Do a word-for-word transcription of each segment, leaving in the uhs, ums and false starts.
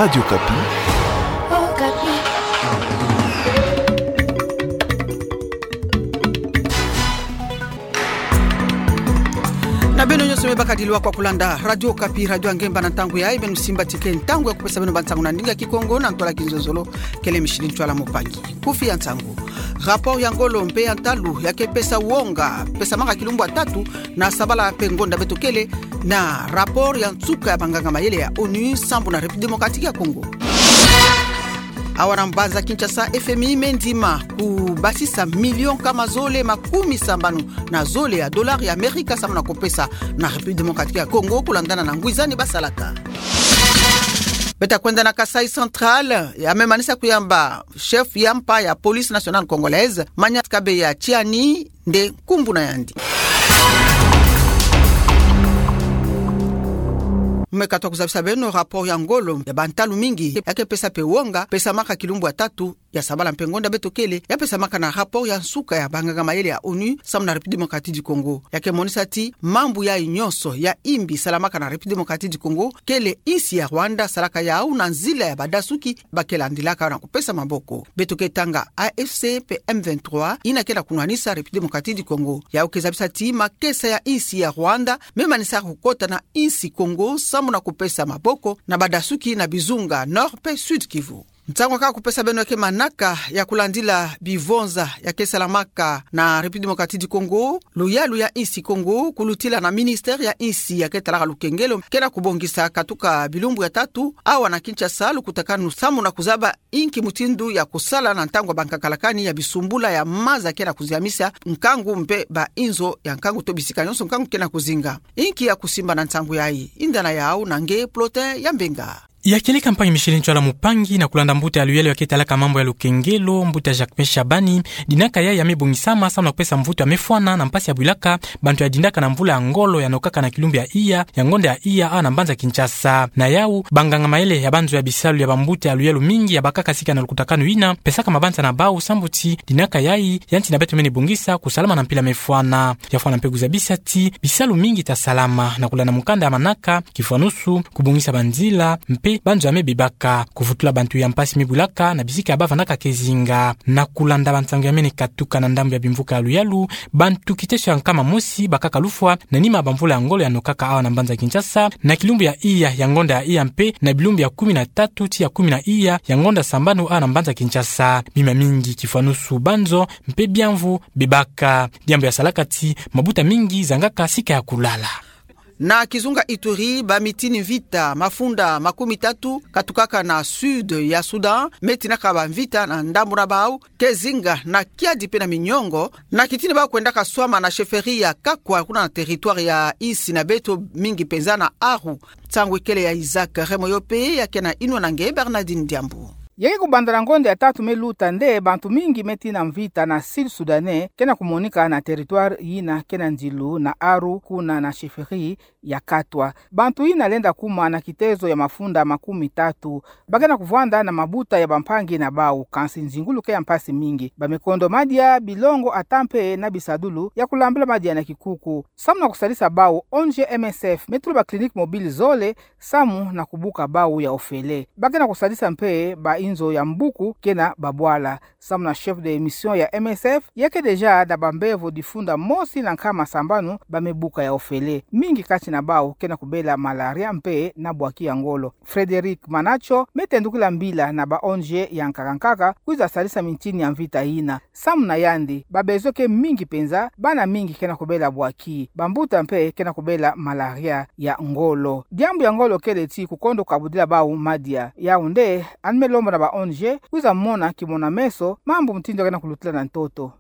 Radio Okapi. Okapi. Na beno nyonso me bakadi lwa kwa kulanda Radio Okapi, radio ya ngemba na ntangu yayi. Beno simba tika ntangu ya kupesa beno bansangu na ndinga Kikongo na ntwala Kinzonzolo. Kele Micheline Ntwala Mupangi. Kufi ya nsangu. Rapport ya ngolo mpe ya ntalu ya ke pesa wonga, pesamaka kilumbu ya tatu na sabala mpe ngonda beto kele, na rapport ya nsuka ya banganga mayele ya onu sambu na République Démocratique ya Congo. Awa na mbanza Kinshasa, F M I me ndima kubasisa million nkama zole makumi sambanu na zole ya dollar ya Amerika sambu na kupesa na République Démocratique ya Congo, kulandana na ngwizani basalaka. Beto kwenda na Kasaï Central, ya me manisa kuyamba chef ya mpa ya Police Nationale Congolaise, Maniat Kabeya Tshiani nde nkumbu na yandi. Me katwa kuzabisa beno rapport ya ngolo ya bantalu mingi ya ke pesa mpe wonga, pesamaka kilumbu ya tatu ya sabala mpe ngonda beto kele, ya pesamaka na rapport ya nsuka ya banganga mayele ya onu sambu na République Démocratique du Congo. Ya ke monisa ti mambu yayi nyonso ya imbi salamaka na République Démocratique du Congo, kele insi ya Rwanda salaka yawu na nzila ya badasuki ba ke landilaka na kupesa maboko. Beto ke tanga A F C mpe M vingt-trois, yina ke na kunwanisa République Démocratique du Congo. Yawu ke zabisa ti makesa ya insi ya Rwanda me manisa kukota na insi Congo sambu na kupesa maboko na badasuki na bizunga Nord mpe Sud Kivu. Nsangu kaka kupesa beno ya ke manaka ya kulandila bivonza ya ke salamaka na République Démocratique du Congo, luyalu ya insi Congo, kulutila na ministère ya insi ya ke talaka lukengelo, ke na kubongisa katuka bilumbu ya tatu awa na Kinshasa lukutakanu sambu na kuzaba inki mutindu ya kusala na ntangu ya bankakalakani ya bisumbula ya maza ke na kuziamisa nkangu mpe ba inzo ya nkangu to bisika nyonso nkangu ke na kuzinga. Inki ya kusimba na nsangu yayi? Yinda na yawu na nge Plotin ya Mbenga. Ya kieleka mpangi Micheline Ntwala Mupangi na kulanda mbuta ya luyalu ya ke talaka mambu ya lukengelo, mbuta Jacques Meshabani, dinaka yayi ya me bongisama sambu na kupesa mvutu ya me fwana na mpasi ya bwilaka bantu ya dindaka na mvula ya ngolo ya nokaka na kilumbu ya iya ya ngonda ya iya awa na mbanza Kinshasa. Na yawu, banganga mayele ya banzo ya bisalu ya bambuta ya luyalu mingi ya bakaka sika na lukutakanu yina, pesaka mabanza na bawu sambu ti dinaka yayi ya nti na beto mene bongisa kusalama na mpila me fwana. Ya fwana mpe kuzabisa ti bisalu mingi ta salama na kulanda mukanda ya manaka, kifwanusu, kubongisa banzila, mpe banzo ya me bebaka, kuvutula bantu ya mpasi me bwilaka na bisika ya bavandaka ke zinga. Na kulanda bansangu ya mene katuka na ndambu ya bimvuka ya luyalu, bantu kiteso ya nkama mosi bakaka lufwa na nima ya bamvula ya ngolo ya nokaka awa na mbanza Kinshasa, na kilumbu ya iya ya ngonda ya iya mpe na bilumbu ya kumi na tatu ti ya kumi na iya ya ngonda sambanu awa na mbanza Kinshasa. Bima mingi kifwanusu banzo mpe biamvu bebaka. Diambu ya salaka ti mabuta mingi zangaka sika ya kulala. Na kizunga Ituri, ba mitini mvita, mafunda makumi tatu, katukaka na sud ya Soudan, me tinaka bamvita na ndambu na bawu ke zinga na kiadi mpe na miniongo, na kitini bawu kwendaka swama na chefferie ya Kakwa, kuna na territoire ya insi na beto, mingi mpenza na Aru. Nsangu ikele ya Isaac Remoyope, ya ke na inwa na nge Bernardine Diambu. Ya ke kubanda na ngonda ya tatu me luta nde bantu mingi me tina mvita na Sud Soudanais ke na kumonika na territoire yina ke na nzilu na Aru, kuna na chefferie ya Katwa. Bantu yina lenda kuma na kitezo ya mafunda makumi tatu. Ba ke na kuvwanda na mabuta ya bampangi na bawu, kansi nzingulu ke ya mpasi mingi. Ba me kondo madia, bilongo, ata mpe na bisadulu ya kulambula madia na kikuku. Samu na kusadisa bawu, O N G M S F me tula ba clinique mobile zole samu na kubuka bawu ya ofele. Ba ke na kusadisa mpe ba inzo ya mbuku ke na babwala. Samu na chef de mission ya M S F, ya ke déjà na bambevo difunda mosi na nkama sambanu ba me buka ya ofele. Mingi kati na bawu ke na kubela malaria mpe na bwaki ya ngolo. Frédéric Manacho me tendukila mbila na ba O N G ya nkaka nkaka kwiza sadisa mintini ya mvita yina. Samu na yandi, ba besoin ke mingi mpenza, bana mingi ke na kubela bwaki, bambuta mpe ke na kubela malaria ya ngolo. Diambu ya ngolo kele ti kukondo kabudila bawu madia. Yawu nde ani me lomba na ba O N G kwiza mona kimona-meso mambu mutindu ya ke na kulutila na ntoto.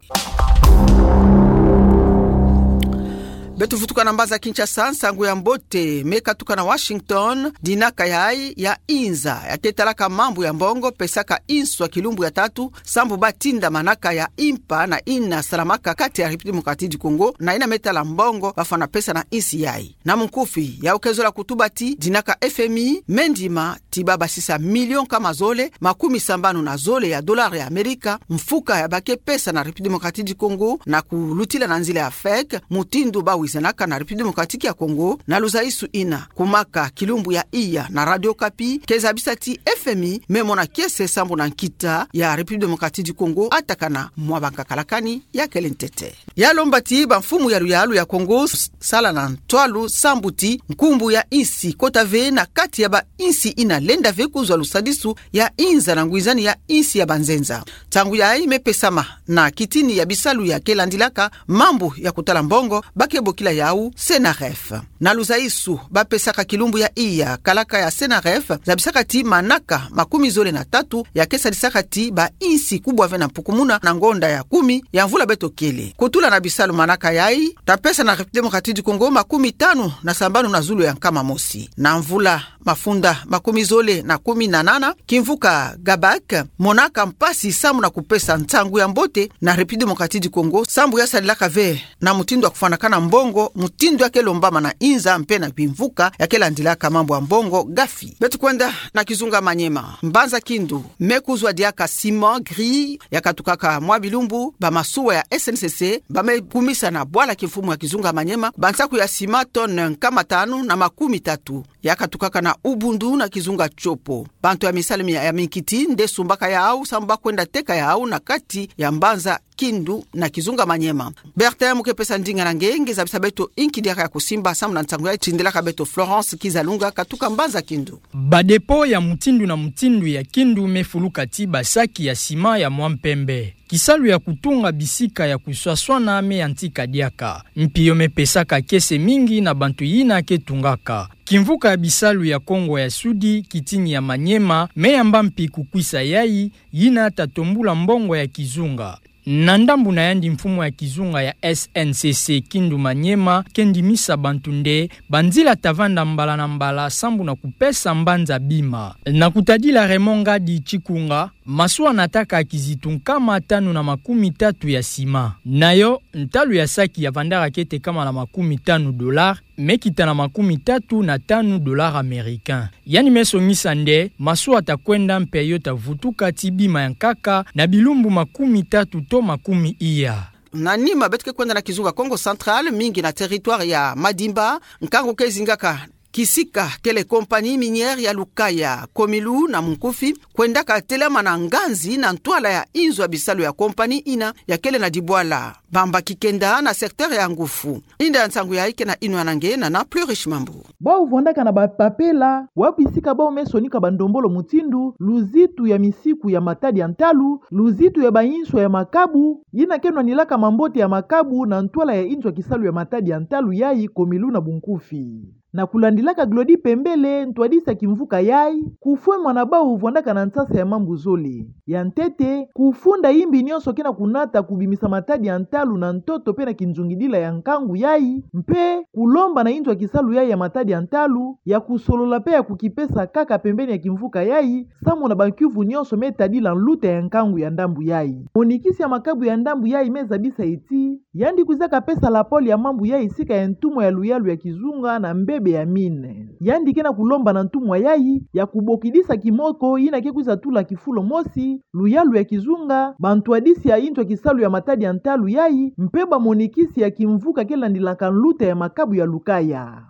Beto vutuka na mbanza Kinshasa, nsangu ya mbote me katuka na Washington. Dinaka yayi ya inza ya ke talaka mambu ya mbongo pesaka inswa kilumbu ya tatu sambu ba tinda manaka ya impa na yina salamaka kati ya République Démocratique du Congo na yina me tala mbongo bafwana pesa na insi yayi. Na munkufi, yawu ke zola kutuba ti dinaka F M I me ndima ti ba basisa million nkama zole makumi sambanu na zole ya dollar ya Amerika, mfuka ya ba ke pesa na République Démocratique du Congo na kulutila na nzila ya FEC, mutindu ba wi- Zenaka na République Démocratique ya Congo, na luzaisu ina kumaka kilumbu ya iya na Radio Okapi, ke zabisa ti F M I me mona kiese sambu na nkita ya République Démocratique du Congo atakana mwa bankakalakani ya kele ntete. Ya lomba ti bamfumu ya luyalu ya Congo s-, sala na ntwalu sambu ti nkumbu ya insi kota ve na kati ya ba insi ina lenda ve kuzwa lusadisu ya inza na ngwizani ya insi ya banzenza. Ntangu yayi me pesama na kitini ya bisalu ya ke landilaka mambu ya kutala mbongo, ba ke bokila yawu CENAREF. Na luzaisu ba pesaka kilumbu ya iya kalaka ya CENAREF, zabisaka ti manaka makumi zole na tatu ya ke sadisaka ti ba insi kubwa ve na mpukumuna na ngonda ya kumi ya mvula beto kele. Kutula na bisalu manaka yayi, ta pesa na République Démocratique du Congo makumi tanu na sambanu na zulu ya nkama mosi. Na mvula mafunda makumi zole na kumi na nana, kimvuka GABAC monaka mpasi sambu na kupesa nsangu ya mbote na République Démocratique du Congo, sambu ya sadilaka ve na mutindu ya kufwanakana mbongo, mutindu ya ke lombama na inza mpe na bimvuka ya ke landilaka mambu ya mbongo GAFI. Beto kwenda na kizunga Maniema. Mbanza Kindu me kuzwa diaka ciment gris ya katukaka mwa bilumbu, ba masuwa ya S N C C ba me kumisa na bwala kimfumu ya kizunga Maniema bansaku ya ciment tonne nkama tanu na makumi tatu ya katukaka na Ubundu na kizunga Tshopo. Bantu ya misalu mia ya minkiti nde sumbaka yawu, sambu ba kwenda teka yawu na kati ya Mbanza Kindu na kizunga Maniema. Bertin, mu ke pesa ndinga na nge, nge zabisa beto inki diaka ya kusimba sambu na nsangu ya tindilaka beto Florence Kizalunga katuka Mbanza Kindu. Ba dépôt ya mutindu na mutindu ya Kindu me fuluka ti ba saki ya ciment ya mwa mpembe. Kisalu ya kutunga bisika ya kuswaswana me yantika diaka. Mpio me pesaka kiese mingi na bantu yina ke tungaka. Kimvuka ya bisalu ya Kongo ya Sudi, kitini ya Maniema, me yamba mpi kukwisa yayi, yina ta tombula mbongo ya kizunga. Na ndambu na yandi, mfumu ya kizunga ya S N C C Kindu Maniema ke ndimisa bantu nde banzila ta vanda mbala na mbala sambu na kupesa mbanza bima. Na kutadila Raymond Ngadi Tshikunga, masuwa nataka kizitu nkama tanu na makumi tatu ya ciment. Na yo, ntalu ya saki ya vandaka kete nkama na makumi tanu dollars, me kita na makumi tatu na tanu dollars américains. Yandi me songisa nde masuwa ta kwenda mpe yo ta vutuka ti bima ya nkaka na bilumbu makumi tatu to makumi iya. Na nima, beto ke kwenda na kizunga Kongo Central, mingi na territoire ya Madimba, nkangu ke zingaka kisika kele compagnie minière ya Lukaya, Komilu na Munkufi, kwendaka telama na nganzi na ntwala ya inzo ya bisalu ya compagnie ina ya kele na dibwala bambaki kenda na secteur ya Ngufu. Inda ya nsangu yayi ke na inwa na nge Nana Plurish Mambu. Bawu vwandaka na bapapela, wa bisika bawu me sonika bandombolo mutindu luzitu ya misiku ya matadi ya ntalu, luzitu ya bainswa ya makabu, yina ke nwanilaka mambote ya makabu na ntwala ya inzo ya kisalu ya matadi ya ntalu yayi Komilu na Bunkufi. Na kulandilaka Glody Pembele, ntwadisi ya kimvuka yayi, kufwemana bawu vwandaka na nsasa ya mambu zole. Ya ntete, kufunda imbi nyonso ke na kunata kubimisa matadi ya ntalu na ntoto mpe na kinzungidila ya nkangu yayi, mpe kulomba na inzo ya kisalu yayi ya matadi ya ntalu ya kusolola mpe ya kukipesa kaka pembeni ya kimvuka yayi, samu na bankiuvu nyonso me tadila nluta ya nkangu ya ndambu yayi. Monikisi ya makabu ya ndambu yayi me zabisa ti yandi kwizaka pesa lapole ya mambu yayi sika ya ntumwa ya luyalu ya kizunga na mbebe ya mine. Yandi ke na kulomba na ntumwa yayi ya kubokidisa kimoko yina ke kwiza tula kifulo mosi, luyalu ya kizunga, bantwadisi ya inzo ya kisalu ya matadi ya ntalu yayi, mpe bamonikisi ya kimvuka ke landilaka nluta ya makabu ya Lukaya.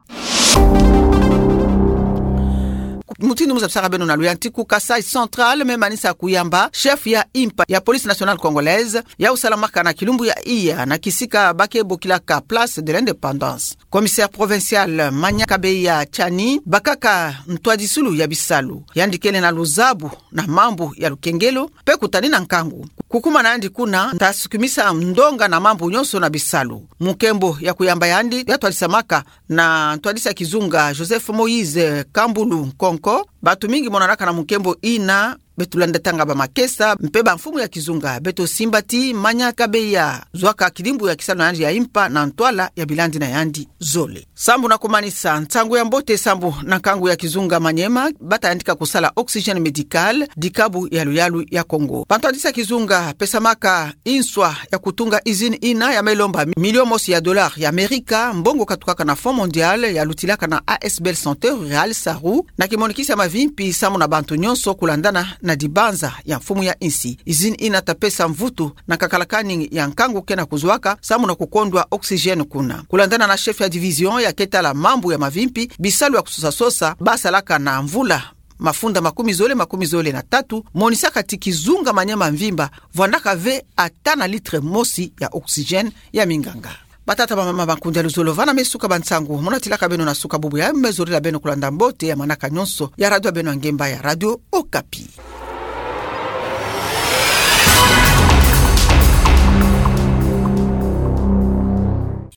Mutindu mu zabisaka beno na luyantiku, Kasaï Central me manisa kuyamba chef ya impa ya Police Nationale Congolaise, yawu salamaka na kilumbu ya iya na kisika ba ke bokilaka Place de l'Indépendance. Commissaire provincial Mania Kabeya Tchani bakaka ntwadisulu ya bisalu. Yandi kele na luzabu na mambu ya lukengelo mpe kutanina nkangu. Kukumana yandi kuna, ta sukumisa ndonga na mambu nyonso na bisalu. Mu nkembo ya kuyamba yandi, ya twadisamaka na ntwadisi ya kizunga Joseph Moïse Kambulu Nkonko. Bantu mingi monanaka na mu nkembo ina, beto landatanga bamakesa mpe bamfumu ya kizunga, beto simba ti Mania Kabeya zwaka kidimbu ya kisalu na yandi ya impa na ntwala ya bilandi na yandi zole. Sambu na kumanisa, nsangu ya mbote sambu na nkangu ya kizunga Maniema, ba ta yandika kusala Oxygène Médical, dikabu ya luyalu ya Kongo. Bantwadisi ya kizunga pesamaka inswa ya kutunga usine ina ya me lomba milio mosi ya dollars ya Amerika, mbongo katukaka na Fonds Mondial ya lutilaka na A S B L Santé Rurale, SARU, na kimonikisi ya mavimpi samu na bantu nyonso kulandana na dibanza ya mfumu ya insi. Usine ina ta pesa mvutu na kakalakani ya nkangu ke na kuzuaka, samu na kukondwa oxygène kuna. Kulandana na chef ya division ya ke tala mambu ya mavimpi, bisalu ya kusosa-sosa, ba salaka na mvula mafunda makumi zole, makumi zole na tatu, monisaka ti kizunga manyema mvimba, vwandaka ve ata na litre mosi ya oxygène ya minganga. Batata, bamama, bakunzi ya luzolo, vana me suka ba nsangu. Muna tilaka beno na suka bubu ya, me zorila beno kulanda mbote ya manaka nyonso ya radio ya beno ya ngemba ya Radio Okapi.